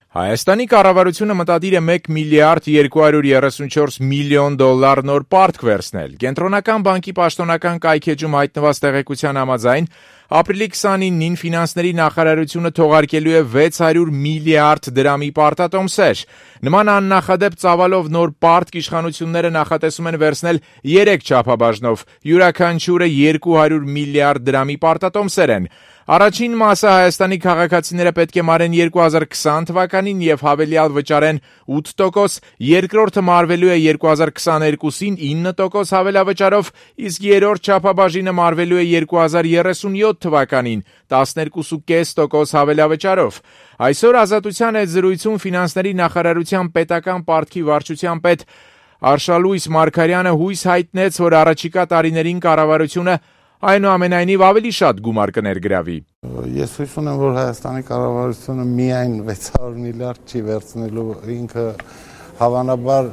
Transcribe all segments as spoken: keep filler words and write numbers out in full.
Հայաստանի կառավարությունը մտադիր է մեկ միլիարդ երկու հարյուր երեսունչորս միլիոն դոլար նոր պարտք վերցնել։ Կենտրոնական բանկի պաշտոնական կայքեջում հայտնված տեղեկության համաձայն ապրիլի քսանինին ֆինանսների նախարարությունը թողարկելու է վեց հարյուր միլիարդ դրամի պարտատոմսեր։ Նման աննախադեպ ծավալով նոր պարտք իշխանությունները նախատեսում են վերցնել երեք չափաբաժնով, յուրաքանչյուրը երկու հարյուր միլիարդ դրամի պարտատոմսեր են։ Առաջին մասը Հայաստանի քաղաքացիները պետք է մարեն երկու հազար քսան թվականին եւ հավելյալ վճարեն ութ տոկոս, երկրորդը մարվելու է երկու հազար քսաներկուսին ինը տոկոս հավելավճարով, իսկ երրորդ չափաբաժինը մարվելու է երկու հազար երեսունյոթ թվականին տասներկու կόμμα պենս տոկոս հավելավճարով։ Այսօր Ազատության հետ զրույցում ֆինանսների նախարարության պետական պարտքի վարչության պետ Արշալույս Մարգարյանը հույս հայտնեց, որ առաջիկա տարիներին կառավարությունը այնուամենայնիվ ավելի շատ գումար կներգրավի։ Ես հույս ունեմ, որ Հայաստանի կառավարությունը միայն վեց հարյուր միլիարդ չի վերցնելու, ինքը հավանաբար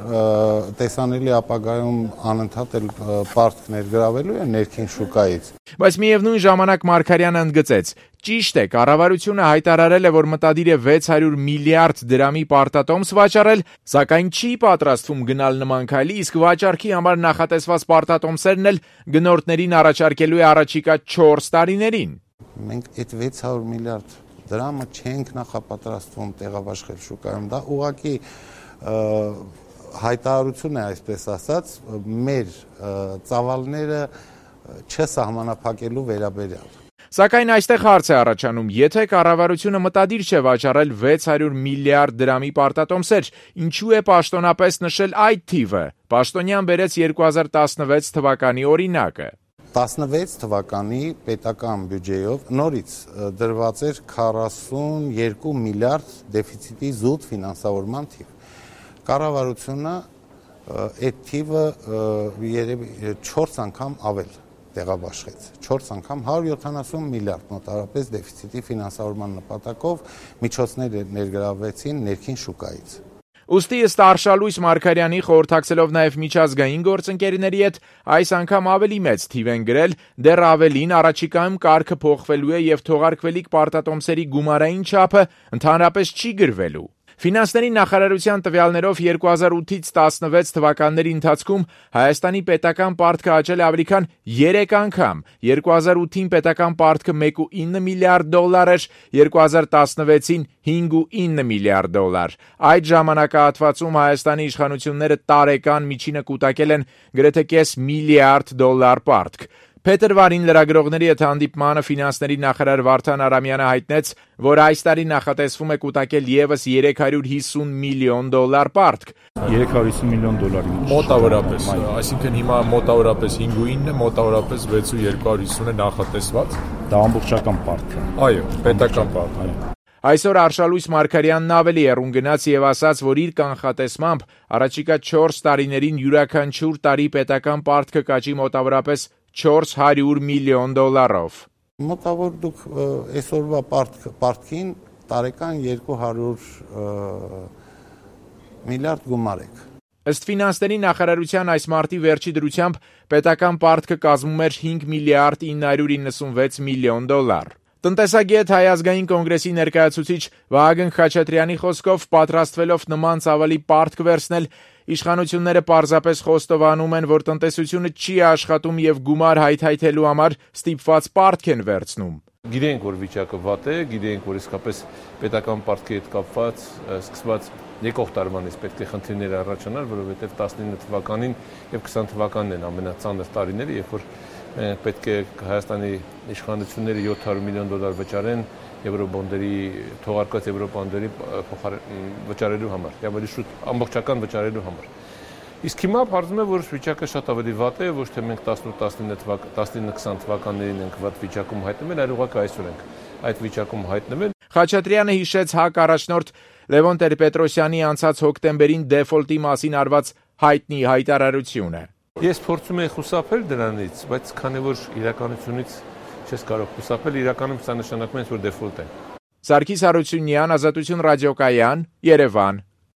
տեսանելի ապագայում անընդհատ էլ պարտք ներգրավելու է ներքին շուկայից։ Բայց միևնույն ժամանակ Մարգարյանը ընդգծեց. ճիշտ է, կառավարությունը հայտարարել է, որ մտադիր է վեց հարյուր միլիարդ դրամի պարտատոմս վաճառել, սակայն չի պատրաստվում գնալ նման քայլի, իսկ վաճառքի համար նախատեսված պարտատոմսերն էլ գնորդներին առաջարկելու է առաջիկա չորս տարիներին։ Մենք այդ վեց հարյուր միլիարդ դրամը չենք նախապատրաստվում տեղաբաշխել շուկայում, դա ուղղակի հայտարարություն է, այսպես ասած, մեր ծավալները չսահմանափակելու վերաբերյալ։ Սակայն այստեղ հարց է առաջանում, եթե կառավարությունը մտադիր չէ վաճառել վեց հարյուր միլիարդ դրամի պարտատոմսեր, ինչու է պաշտոնապես նշել այդ թիվը։ Պաշտոնյան բերեց երկու հազար տասնվեց թվականի օրինակը։ տասնվեց թվականի պետական բյուջեով նորից դրված էր քառասունյոթ միլիարդ դեֆիցիտի զուտ ֆինանսավորման թիվ։ Կառավարությունը այդ թիվը երևի չորս անգամ ավել տեղաբաշխեց, չորս անգամ հարյուր յոթանասուն միլիարդ մոտավորապես դեֆիցիտի ֆինանսավորման նպատակով միջոցներ ներգրավվեցին ներքին շուկայից։ Ուստի ըստ Արշալույս Մարգարյանի խորհրդակցելով նաև միջազգային գործընկերների հետ այս անգամ ավելի մեծ թիվ են գրել, դեռ ավելին առաջիկայում կարգը փոխվելու է եւ թողարկվելիք պարտատոմսերի գումարային չափը ընդհանրապես չի գրվելու։ Ֆինանսների նախարարության տվյալներով երկու հազար ութից տասնվեց թվականների ընթացքում Հայաստանի պետական պարտքը աճել է ավելի քան երեք անգամ։ երկու հազար ութին պետական պարտքը մեկ կόμμα ինը միլիարդ դոլար էր, երկու հազար տասնվեցին հինգ կόμma ինը միլիարդ դոլար։ Այդ ժամանակահատվածում Հայաստանի իշխանությունները տարեկան միջինը կուտակել են գրեթե կես միլիարդ դոլար պարտք։ Փետրվարին լրագրողների հետ հանդիպմանը ֆինանսների նախարար Վարդան Արամյանը հայտնեց, որ այս տարի նախատեսվում է կուտակել ևս երեք հարյուր հիսուն միլիոն դոլար պարտք։ երեք հարյուր հիսուն միլիոն դոլարի մոտավորապես, այսինքն հիմա մոտավորապես հինգ կόμma ինը, մոտավորապես վեց կόμma երկու հարյուր հիսուն է նախատեսված։ Դա ամբողջական պարտք է։ Այո, պետական պարտք, այո։ Այսօր Արշալույս Մարգարյանն ավելի եռուն գնաց եւ ասաց, որ իր կանխատեսմամբ առաջիկա չորս տարիներին յուրաքանչյուր տարի պետական պարտքը կաճի մոտավորապես չորս հարյուր միլիոն դոլարով։ Մոտավոր դուք այսօրվա պարտքին տարեկան երկու հարյուր միլիարդ գումար եք։ Ըստ ֆինանսների նախարարության այս մարտի վերջի դրությամբ պետական պարտքը կազմում էր հինգ միլիարդ ինը հարյուր իննսունվեց միլիոն դոլար։ Տնտեսագետ Հայ ազգային կոնգրեսի ներկայացուցիչ Վահագն Խաչատրյանի խոսքով պատրաստվելով նման ծավալի պարտք վերցնել, իշխանությունները պարզապես խոստովանում են, որ տնտեսությունը չի աշխատում եւ գումար հայթայթելու համար ստիպված պարտք են վերցնում։ Գիտենք, որ վիճակը վատ է, գիտենք, որ իսկապես պետական պարտքի հետ կապված սկսված եկող տարվանից պետք է խնդիրներ առաջանալ, որովհետեւ տասնինը թվականին եւ քսան թվականն են ամենածանր տարիները, երբ որ պետք է Հայաստանի իշխանությունները յոթ հարյուր միլիոն դոլար վճարեն եվրոբոնդերի թողարկված եվրոբոնդերի վճարելու համար, ավելի շուտ ամբողջական վճարելու համար։ Իսկ հիմա բարձում է, որ վիճակը շատ ավելի վատ է, ոչ թե մենք տասնինը քսան թվականներին ենք վատ վիճակում հայտնվել, այլ ուղղակի այսօր ենք այդ վիճակում հայտնվել։ Խաչատրյանը հիշեց ՀԱԿ առաջնորդ Լևոն Տեր-Պետրոսյանի անցած հոկտեմբերին դեֆոլտի մասին արված հայտնի հայտարարությունը։ Ես փորձում եմ խուսափել դրանից, բայց քանի որ իրականությունից չես կարող խուսափել, իրականում սա նշանակում է, որ դեֆոլտ է։ Սարգիս Հարությունյան, Ազատություն ռադիոկայան, Երևան։